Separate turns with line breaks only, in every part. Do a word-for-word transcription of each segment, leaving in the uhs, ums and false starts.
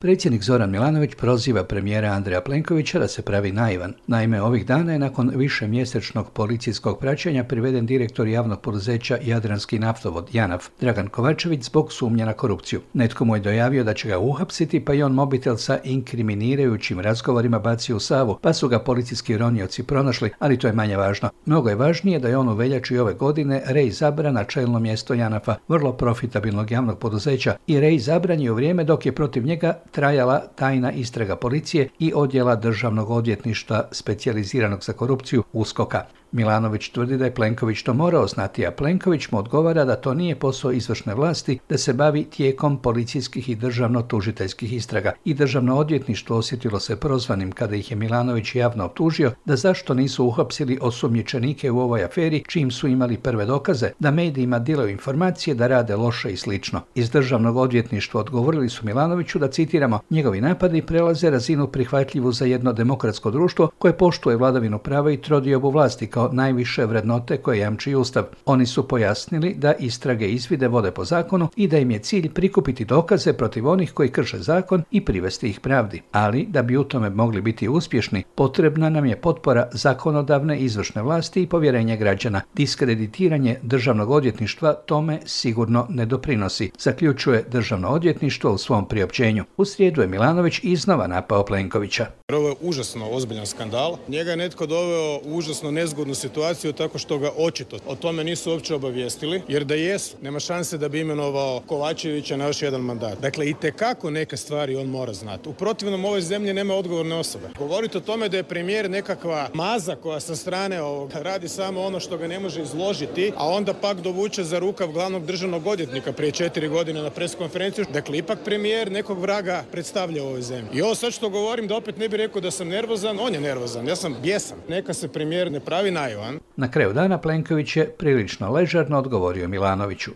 Predsjednik Zoran Milanović proziva premijera Andreja Plenkovića da se pravi naivan. Naime, ovih dana je nakon višemjesečnog policijskog praćenja priveden direktor javnog poduzeća Jadranski naftovod JANAF, Dragan Kovačević, zbog sumnje na korupciju. Netko mu je dojavio da će ga uhapsiti, pa je on mobitel sa inkriminirajućim razgovorima bacio u Savu, pa su ga policijski ronioci pronašli, ali to je manje važno. Mnogo je važnije da je on u veljači ove godine reizabran na čelno mjesto JANAF-a, vrlo profitabilnog javnog poduzeća, i reizabran je u vrijeme dok je protiv njega trajala tajna istraga policije i odjela državnog odvjetništva specijaliziranog za korupciju USKOK-a. Milanović tvrdi da je Plenković to morao znati, a Plenković mu odgovara da to nije posao izvršne vlasti, da se bavi tijekom policijskih i državno-tužiteljskih istraga. I državno odvjetništvo osjetilo se prozvanim kada ih je Milanović javno optužio da zašto nisu uhapsili osumnjičenike u ovoj aferi čim su imali prve dokaze, da medijima dilaju informacije da rade loše i slično. Iz državnog odvjetništva odgovorili su Milanoviću da, citiramo, njegovi napadi prelaze razinu prihvatljivu za jedno demokratsko društvo koje poštuje vladavinu prava i trodiobu vlasti kao najviše vrednote koje jamči Ustav. Oni su pojasnili da istrage i izvide vode po zakonu i da im je cilj prikupiti dokaze protiv onih koji krše zakon i privesti ih pravdi. Ali, da bi u tome mogli biti uspješni, potrebna nam je potpora zakonodavne i izvršne vlasti i povjerenje građana. Diskreditiranje državnog odvjetništva tome sigurno ne doprinosi, zaključuje državno odvjetništvo u svom priopćenju. U srijedu je Milanović iznova napao Plenkovića.
Ovo je užasno ozbiljan skandal. Njega je netko doveo u užasno nezgodnu situaciju tako što ga očito o tome nisu uopće obavijestili, jer da jesu, nema šanse da bi imenovao Kovačevića na još jedan mandat. Dakle, itekako neke stvari on mora znati. U protivnom ovoj zemlji nema odgovorne osobe. Govoriti o tome da je premijer nekakva maza koja sa strane ovog radi samo ono što ga ne može izložiti, a onda pak dovuče za rukav glavnog državnog odvjetnika prije četiri godine na preskonferenciju. Dakle, ipak premijer nekog vraga predstavlja u ovoj zemlji. I ovo sad što govorim, da opet ne bi rekao da sam nervozan, on je nervozan, ja sam bijesan. Neka se premijer ne pravi naivan.
Na kraju dana Plenković je prilično ležerno odgovorio Milanoviću.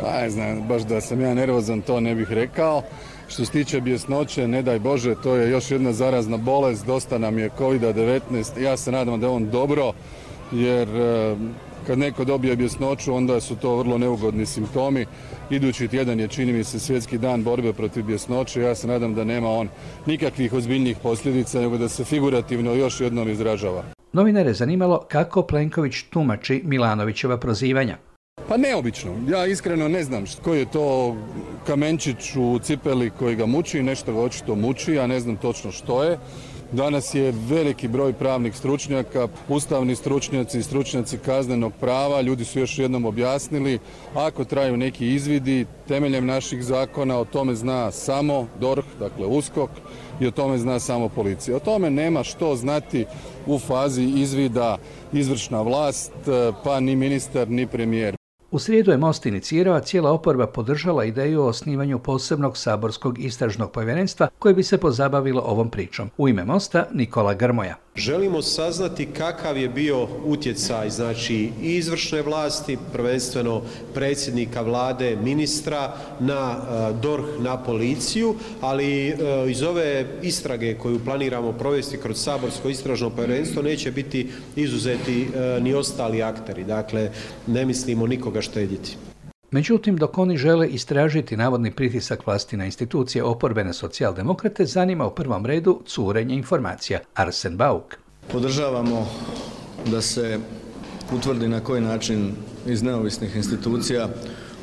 Pa ne znam, baš da sam ja nervozan, to ne bih rekao. Što se tiče bjesnoće, ne daj Bože, to je još jedna zarazna bolest, dosta nam je kovid devetnaest. Ja se nadam da je on dobro, jer kad neko dobije bjesnoću, onda su to vrlo neugodni simptomi. Idući tjedan je, čini mi se, svjetski dan borbe protiv bjesnoće. Ja se nadam da nema on nikakvih ozbiljnijih posljedica, nego da se figurativno još jednom izražava.
Novinare je zanimalo kako Plenković tumači Milanovićeva prozivanja.
Pa neobično. Ja iskreno ne znam koji je to kamenčić u cipeli koji ga muči, nešto ga očito muči, ja ne znam točno što je. Danas je veliki broj pravnih stručnjaka, ustavni stručnjaci, stručnjaci kaznenog prava, ljudi su još jednom objasnili, ako traju neki izvidi temeljem naših zakona, o tome zna samo DORH, dakle USKOK, i o tome zna samo policija. O tome nema što znati u fazi izvida izvršna vlast, pa ni ministar, ni premijer.
U srijedu je Most inicirao, a cijela oporba podržala ideju o osnivanju posebnog saborskog istražnog povjerenstva koje bi se pozabavilo ovom pričom. U ime Mosta Nikola Grmoja.
Želimo saznati kakav je bio utjecaj, znači, i izvršne vlasti, prvenstveno predsjednika vlade, ministra, na DORH, na policiju, ali iz ove istrage koju planiramo provesti kroz saborsko istražno povjerenstvo neće biti izuzeti ni ostali akteri. Dakle, ne mislimo nikoga štedjeti.
Međutim, dok oni žele istražiti navodni pritisak vlasti na institucije oporbene socijaldemokrate, zanima u prvom redu curenje informacija. Arsen Bauk.
Podržavamo da se utvrdi na koji način iz neovisnih institucija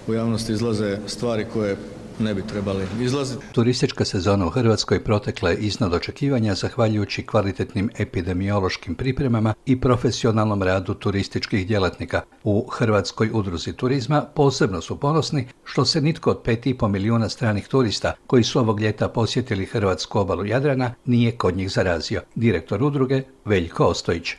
u javnosti izlaze stvari koje ne bi trebali izlaziti.
Turistička sezona u Hrvatskoj protekla je iznad očekivanja zahvaljujući kvalitetnim epidemiološkim pripremama i profesionalnom radu turističkih djelatnika. U Hrvatskoj udruzi turizma posebno su ponosni što se nitko od pet i pol milijuna stranih turista koji su ovog ljeta posjetili hrvatsku obalu Jadrana nije kod njih zarazio. Direktor udruge Veljko Ostojić.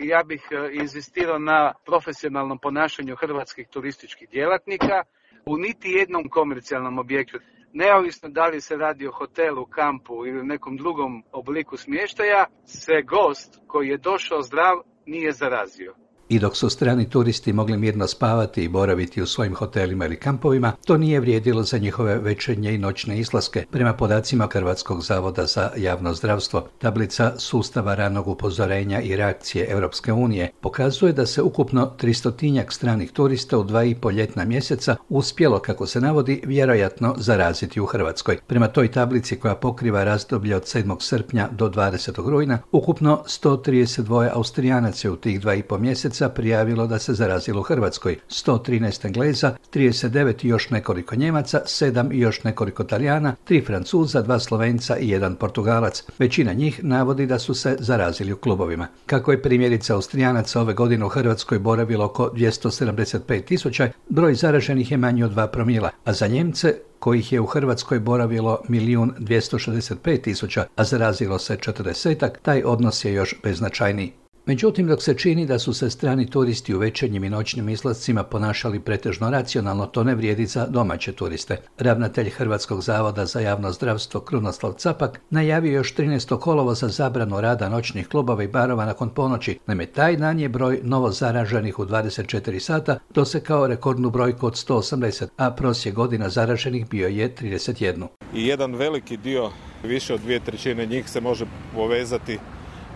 Ja bih inzistirao na profesionalnom ponašanju hrvatskih turističkih djelatnika. U niti jednom komercijalnom objektu, neovisno da li se radi o hotelu, kampu ili nekom drugom obliku smještaja, se gost koji je došao zdrav nije zarazio.
I dok su strani turisti mogli mirno spavati i boraviti u svojim hotelima ili kampovima, to nije vrijedilo za njihove večernje i noćne izlaske. Prema podacima Hrvatskog zavoda za javno zdravstvo, tablica sustava ranog upozorenja i reakcije Europske unije pokazuje da se ukupno tristotinjak stranih turista u dva i pol ljetna mjeseca uspjelo, kako se navodi, vjerojatno zaraziti u Hrvatskoj. Prema toj tablici koja pokriva razdoblje od sedmog srpnja do dvadesetog rujna, ukupno sto trideset dva Austrijanaca u tih dva i pol mjeseca prijavilo da se zarazilo u Hrvatskoj, sto trinaest Engleza, trideset devet i još nekoliko Njemaca, sedam i još nekoliko Talijana, tri Francuza, dva Slovenca i jedan Portugalac. Većina njih navodi da su se zarazili u klubovima. Kako je primjerica Austrijanaca ove godine u Hrvatskoj boravilo oko dvjesto sedamdeset pet tisuća, broj zaraženih je manji od dva promila, a za Njemce, kojih je u Hrvatskoj boravilo milijun dvjesto šezdeset pet tisuća, a zarazilo se četrdesetak, taj odnos je još beznačajniji. Međutim, dok se čini da su se strani turisti u večernjim i noćnim izlascima ponašali pretežno racionalno, to ne vrijedi za domaće turiste. Ravnatelj Hrvatskog zavoda za javno zdravstvo Krunoslav Capak najavio još trinaestog kolovoza zabranu rada noćnih klubova i barova nakon ponoći. Naime, taj dan je broj novo zaraženih u dvadeset četiri sata dosekao rekordnu brojku od sto osamdeset, a prosjek godina zaraženih bio je trideset jedan.
I jedan veliki dio, više od dvije trećine njih, se može povezati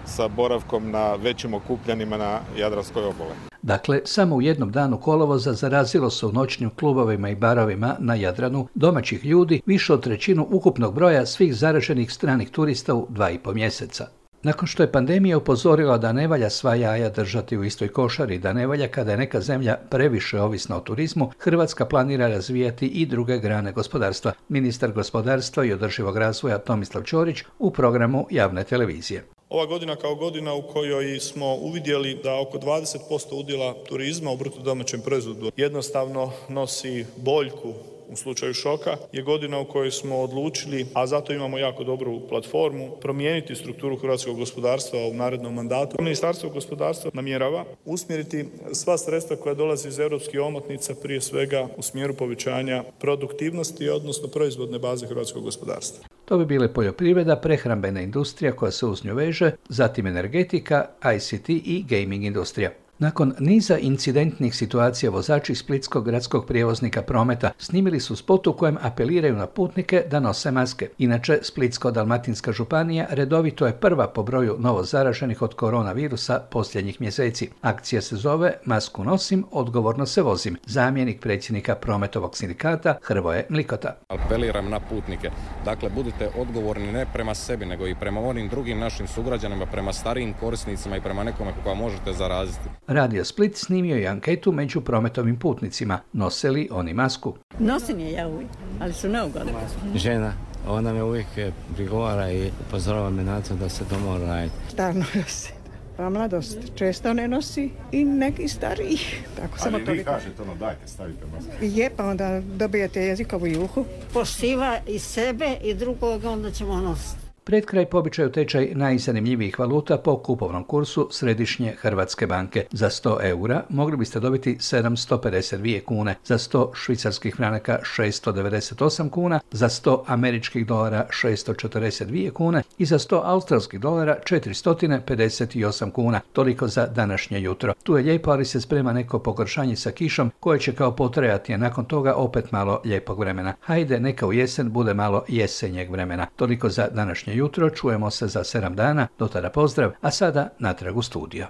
sa boravkom na većim okupljanjima na Jadranskoj obali.
Dakle, samo u jednom danu kolovoza zarazilo se u noćnim klubovima i barovima na Jadranu domaćih ljudi više od trećinu ukupnog broja svih zaraženih stranih turista u dva i pol mjeseca. Nakon što je pandemija upozorila da ne valja sva jaja držati u istoj košari, da ne valja kada je neka zemlja previše ovisna o turizmu, Hrvatska planira razvijati i druge grane gospodarstva. Ministar gospodarstva i održivog razvoja Tomislav Ćorić u programu javne televizije.
Ova godina kao godina u kojoj smo uvidjeli da oko dvadeset posto udjela turizma u bruto domaćem proizvodu jednostavno nosi boljku u slučaju šoka, je godina u kojoj smo odlučili, a zato imamo jako dobru platformu, promijeniti strukturu hrvatskog gospodarstva u narednom mandatu. Ministarstvo gospodarstva namjerava usmjeriti sva sredstva koja dolaze iz europskih omotnica prije svega u smjeru povećanja produktivnosti, odnosno proizvodne baze hrvatskog gospodarstva.
To bi bile poljoprivreda, prehrambena industrija koja se uz nju veže, zatim energetika, I C T i gaming industrija. Nakon niza incidentnih situacija vozači splitskog gradskog prijevoznika Prometa snimili su spot u kojem apeliraju na putnike da nose maske. Inače, Splitsko-dalmatinska županija redovito je prva po broju novo zaraženih od koronavirusa posljednjih mjeseci. Akcija se zove Masku nosim, odgovorno se vozim. Zamjenik predsjednika Prometovog sindikata Hrvoje Mlikota.
Apeliram na putnike. Dakle, budite odgovorni ne prema sebi, nego i prema onim drugim našim sugrađanima, prema starijim korisnicima i prema nekome koga možete zaraziti.
Radio Split snimio je anketu među prometovim putnicima. Nose li oni masku?
Nosim je ja uvijek, ali su neugodne.
Žena, ona me uvijek prigovara i upozorava me na to da se to mora raditi.
Stalno nosi. Pa mladost često ne nosi i neki stariji. Tako samo
ali vi kažete ono, dajte, stavite masku.
Je, pa onda dobijete jezikovu juhu. Poštiva i sebe i drugoga, onda ćemo nositi.
Pred kraj po običaju tečaj najzanimljivijih valuta po kupovnom kursu Središnje Hrvatske banke. Za sto eura mogli biste dobiti sedamsto pedeset dvije kune, za sto švicarskih franaka šeststo devedeset osam kuna, za sto američkih dolara šeststo četrdeset dvije kune i za sto australskih dolara četiristo pedeset osam kuna. Toliko za današnje jutro. Tu je lijepo, ali se sprema neko pogoršanje sa kišom koje će kao potrajati, a nakon toga opet malo lijepog vremena. Hajde, neka u jesen bude malo jesenjeg vremena. Toliko za današnje jutro, čujemo se za sedam dana, do tada pozdrav, a sada natrag u studio.